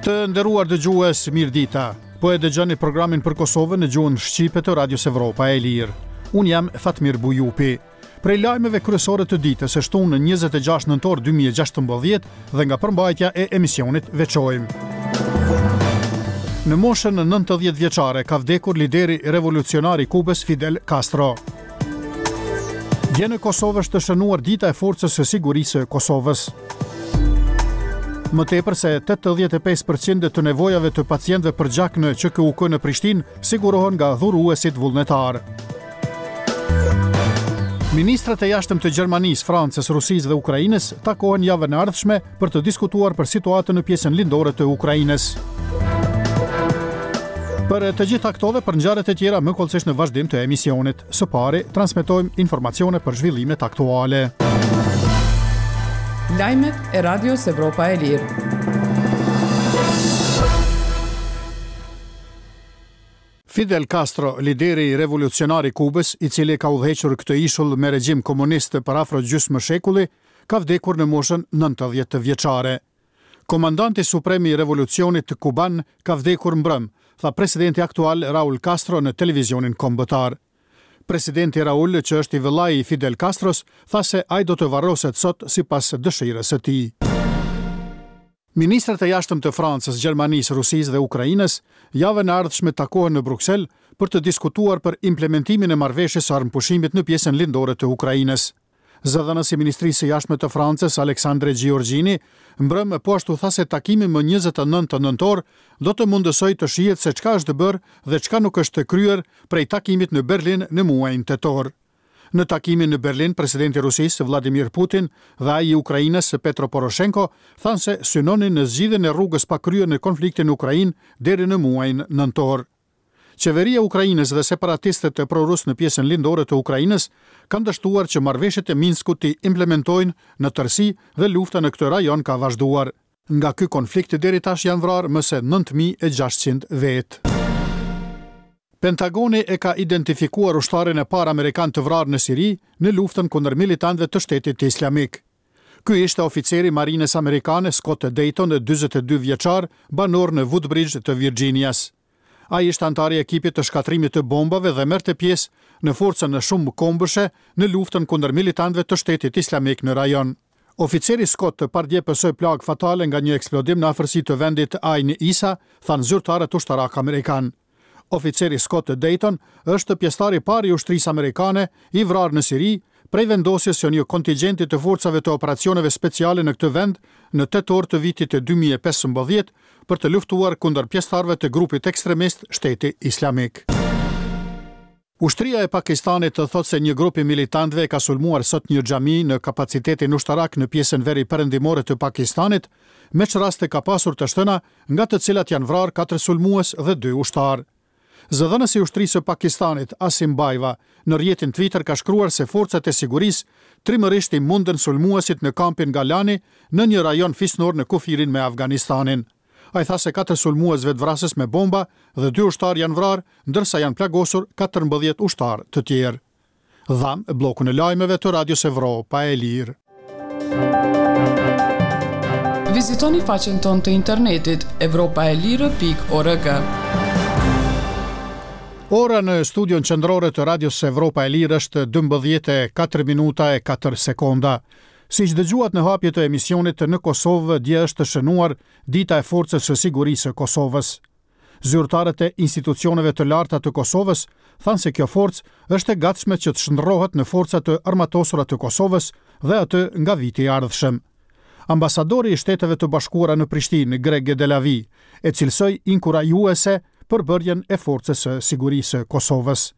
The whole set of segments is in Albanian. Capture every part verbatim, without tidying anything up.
Të nderuar dëgjues, mirë dita. Po e dëgjoni programin për Kosovën në gjuhën shqipe të Radios Evropa e Lirë. Unë jam Fatmir Bujupi. Prej lajmeve kryesore të ditës së shtunë në njëzet e gjashtë nëntor dy mijë e gjashtëmbëdhjetë dhe nga përmbajtja e emisionit veçojmë. Në moshën nëntëdhjetë vjeçare ka vdekur lideri revolucionar i Kubës Fidel Castro. Dje në Kosovë është shënuar dita e Forcës së Sigurisë së Kosovës. Më tepër se tetëdhjetë e pesë përqind të nevojave të pacientëve për gjak në Q K U K në Prishtinë sigurohen nga dhuruesit vullnetar. Ministrat e jashtëm të Gjermanisë, Francës, Rusisë dhe Ukrainës takohen javën e ardhshme për të diskutuar për situatën në pjesën lindore të Ukrainës. Për të gjitha këto dhe për ngjarjet e tjera më hollësisht në vazhdim të emisionit. Së pari, transmetojmë informacione për zhvillimet aktuale. Lajmet e Radios Evropa e Lirë. Fidel Castro, lideri revolucionar i Kubës, i cili ka udhëhequr këtë ishull me regjim komunist për afro gjysmë shekulli, ka vdekur në moshën nëntëdhjetë vjeçare. Komandanti suprem i revolucionit kuban ka vdekur mbrëm, tha presidenti aktual Raul Castro në televizionin kombëtar. Presidenti Raul, që është i vëllai i Fidel Castros, tha se ai do të varroset sot sipas dëshirës së tij. Ministrat e jashtëm të Francës, Gjermanisë, Rusisë dhe Ukrainës javën e ardhshme takohen në Bruksel për të diskutuar për implementimin e marrëveshjes së armëpushimit në pjesën lindore të Ukrainës. Zëdhënësi i Ministrisë së Jashtme të Francës, Aleksandre Giorgini, mbrëm po ashtu tha se takimi më njëzet e nëntë nëntor do të mundësojë të shihet se çka është bërë dhe çka nuk është kryer prej takimit në Berlin në muajin tetor. Në takimin në Berlin, presidenti i Rusisë Vladimir Putin dhe ai i Ukrainës Petro Poroshenko thanë se synonin në zgjidhjen e rrugës pa kryer në konfliktin në Ukrainë deri në muajin nëntor. Qeveria e Ukrainës dhe separatistët e prorus në pjesën lindore të Ukrainës kanë dështuar që marrëveshjet e Minskut t'i implementojnë në tërësi dhe lufta në këtë rajon ka vazhduar. Nga ky konflikt deri tash janë vrarë më se nëntë mijë e gjashtëqind vetë. Pentagoni e ka identifikuar ushtarin e parë amerikan të vrarë në Siri në luftën kundër militantëve të Shtetit Islamik. Ky ishte oficeri i marinës amerikane Scott Dayton, dyzet e dy vjeçar, banor në Woodbridge të Virginias. Ai ishte antar i ekipit të shkatrimit të bombave dhe merrte pjesë në forcën shumë kombëshe në luftën kundër militantëve të Shtetit Islamik në rajon. Oficeri Scott pardje pësoi plagë fatale nga një eksplodim në afërsi të vendit Ain Isa, thanë zyrtarët ushtarak amerikan. Oficeri Scott Dayton është pjesëtari i parë i ushtrisë amerikane i vrarë në Siri prej vendosjes së një kontingjenti të forcave të operacioneve speciale në këtë vend në tetor të vitit dy mijë e pesëmbëdhjetë për të luftuar kundër pjesëtarëve të grupit ekstremist Shteti Islamik. Ushtria e Pakistanit të thotë se një grup i militantëve ka sulmuar sot një xhami në kapacitetin ushtarak në pjesën veri perëndimore të Pakistanit, me ç'rast ka pasur të shtëna nga të cilat janë vrarë katër sulmues dhe dy ushtarë. Zëdhënësi i ushtrisë së Pakistanit, Asim Bajwa, në rrjetin Twitter ka shkruar se forcat e sigurisë trimërisht i mundën sulmuesit në kampin Galani në një rajon fisnor në kufirin me Afganistanin. Ai tha se katër sulmues vetvrasës me bomba dhe dy ushtarë janë vrarë, ndërsa janë plagosur katërmbëdhjetë ushtarë të tjerë. Dham bllokun e lajmeve të Radios Evropa e Lirë. Vizitoni faqen tonë të internetit evropa e lirë pikë org. Ora në studion qendrore të Radios Evropa e Lirë është dymbëdhjetë e katër minuta e katër sekonda. Siç dëgjuat në hapje të emisionit, në Kosovë dje është shënuar Dita e Forcës së Sigurisë së Kosovës. Zyrtarët e institucioneve të larta të Kosovës thanë se kjo forcë është e gatshme që të shndërrohet në forca të armatosura të Kosovës dhe atë nga viti i ardhshëm. Ambasadori i Shteteve të Bashkuara në Prishtinë, Greg Delavi, e cilësoi inkurajuese përbërjen e Forcës së Sigurisë së Kosovës.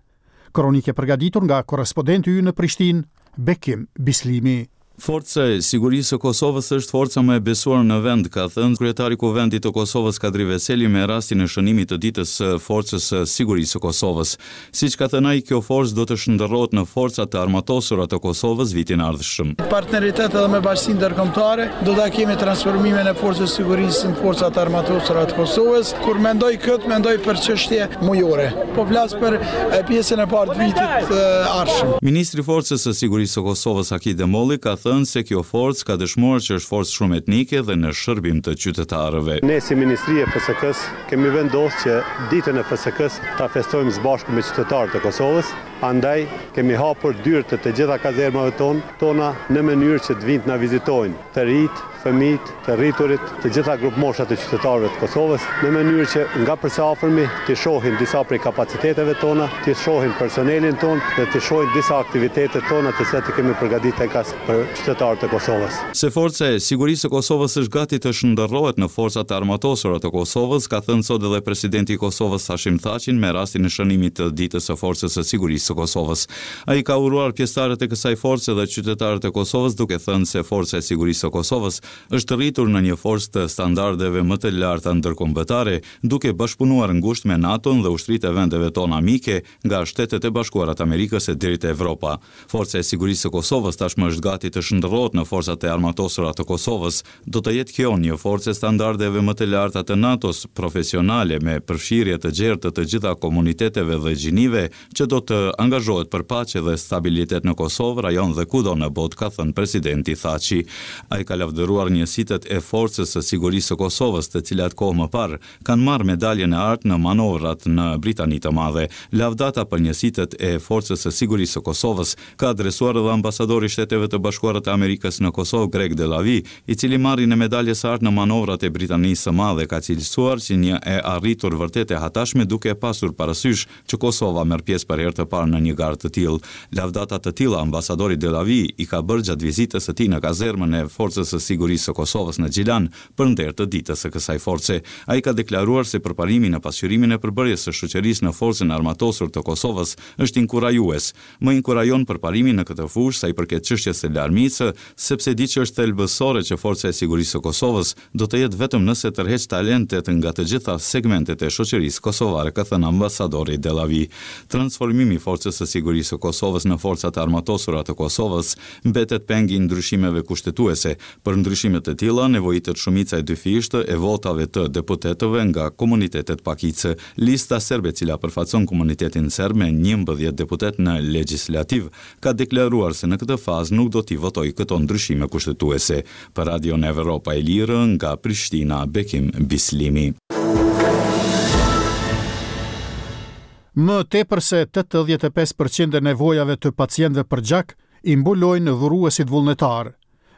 Kronike përgatitur nga korrespondenti ynë në Prishtinë, Bekim Bislimi. Forca e Sigurisë së Kosovës është forca më e besuar në vend, ka thënë kryetari i Kuvendit të Kosovës Kadri Veseli me rastin e shënimit të ditës së Forcës së Sigurisë së Kosovës. Siç ka thënë ai, kjo forcë do të shndërrohet në forca të armatosura të Kosovës vitin e ardhshëm. Partneritet edhe me bashkësinë ndërkombëtare, do ta kemi transformimin e Forcës së Sigurisë në forca të armatosura të Kosovës. Kur mendoj këtë, mendoj për çështje mujore. Po flas për pjesën e parë të vitit të ardhshëm. Ministri i Forcës së Sigurisë së Kosovës Haki Demolli ka thënë se kjo forcë ka dëshmuar që është forcë shumë etnike dhe në shërbim të qytetarëve. Ne si Ministri e F S K-s kemi vendosur që ditën e F S K-s ta festojmë së bashku me qytetarët e Kosovës, andaj kemi hapur dyert e të gjitha kazermave ton, tona në mënyrë që të vinë të na vizitojnë të rinjt, fëmijët, të rriturit, të gjitha grupmoshat e qytetarëve të Kosovës, në mënyrë që nga për së afërmi të shohin disa prej kapaciteteve tona, të shohin personelin ton dhe të shohin disa aktivitete tona të cilat i kemi përgatitur enkas për qytetarët e Kosovës. Se forca e sigurisë së Kosovës është gati të shndërrohet në forcat e armatosura të Kosovës, ka thënë sot edhe presidenti i Kosovës Hashim Thaçin me rastin e shënimit të ditës së Forcës së Sigurisë së Kosovës. Ai ka uruar pjesëtarët e kësaj force dhe qytetarët e Kosovës duke thënë se Forca e Sigurisë së Kosovës është rritur në një forcë të standardeve më të larta ndërkombëtare, duke bashkëpunuar ngushtë me NATO-n dhe ushtritë e vendeve tona mike nga Shtetet e Bashkuara të Amerikës e deri te Evropa. Forca e Sigurisë së Kosovës tashmë është gati të shndërrohet në forcat e armatosura të Kosovës. Do të jetë kjo një forcë e standardeve më të larta të NATO-s, profesionale me përfshirje të gjerë të të gjitha komuniteteve dhe gjinive, që do të angazhohet për paqe dhe stabilitet në Kosovë, rajon dhe kudo në botë, ka thënë presidenti Thaçi. Ai ka lavdëruar njësitet e Forcës së Sigurisë së Kosovës, të cilat kohë më parë kanë marrë medaljen e artë në manovrat në Britani të Madhe. Lavdata për njësitet e Forcës së Sigurisë së Kosovës ka adresuar edhe ambasadori i Shteteve të Bashkuara të Amerikës në Kosovë, Greg Delawie, i cili marrin e medaljes së artë në manovrat e Britanisë së Madhe ka cilësuar si një e arritur vërtet e hatashme, duke pasur parasysh që Kosova merr pjesë për herë të parë në një garë të tillë. Lavdata të tilla ambasadori Delawie i ka bërë gjatë vizitës së tij në kazermën e Forcës së Sigurisë së Kosovës në Gjilan për nder të ditës së kësaj force. Ai ka deklaruar se përparimi në pasqyrimin e përbërjes së shoqërisë në Forcën e Armatosur të Kosovës është inkurajues. Më inkurajon përparimi në këtë fushë sa i përket çështjes së larmisë, sepse di që është thelbësore që Forca e Sigurisë së Kosovës do të jetë vetëm nëse tërheq talentet nga të gjitha segmentet e shoqërisë kosovare, ka thënë ambasadori Delawie. Transformimi i Forcës së Sigurisë së Kosovës në Forcat e Armatosura të Kosovës mbetet peng i ndryshimeve kushtetuese. Për ndryshime të tilla nevojitet shumica e dyfishtë e votave të deputetëve nga komunitetet pakice. Lista serbe, e cila përfaqëson komunitetin serb me njëmbëdhjetë deputet në legjislativ, ka deklaruar se në këtë fazë nuk do t'i votojë këto ndryshime kushtetuese. Për Radion Evropa e Lirë nga Prishtina, Bekim Bislimi. Më tepër se tetëdhjetë e pesë përqind e nevojave të pacientëve për gjak i mbulojnë dhuruesit vullnetar.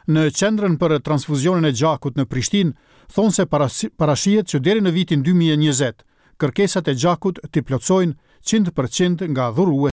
Në qendrën për transfuzionin e gjakut në Prishtinë thonë se parashihet që deri në vitin dy mijë e njëzet kërkesat e gjakut t'i plotësojnë qind përqind nga dhuruesit